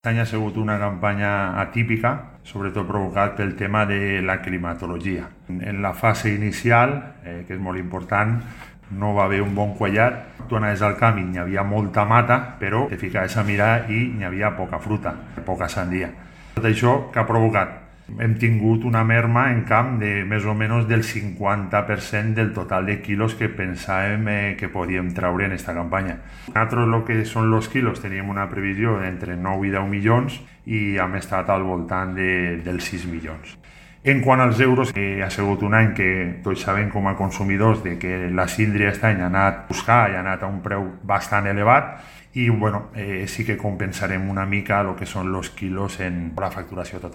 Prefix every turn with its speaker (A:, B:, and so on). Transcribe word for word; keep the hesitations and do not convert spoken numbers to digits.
A: Aquest any ha sigut una campanya atípica, sobretot provocat pel tema de la climatologia. En la fase inicial, eh, que és molt important, no va haver un bon quallat. Tu anaves al camp i hi havia molta mata, però te ficaves a mirar i hi havia poca fruta, poca sandia. Tot això que ha provocat? Hem tingut una merma en camp de més o menys del cinquanta per cent del total de quilos que pensàvem eh, que podíem treure en aquesta campanya. Nosaltres, el que són els quilos, teníem una previsió d'entre nou i deu milions i hem estat al voltant de, dels sis milions. En quant als euros, eh, ha sigut un any que tots sabem com a consumidors de que la síndria aquest any ha anat a buscar i ha anat a un preu bastant elevat i bueno, eh, sí que compensarem una mica el que són els quilos en la facturació total.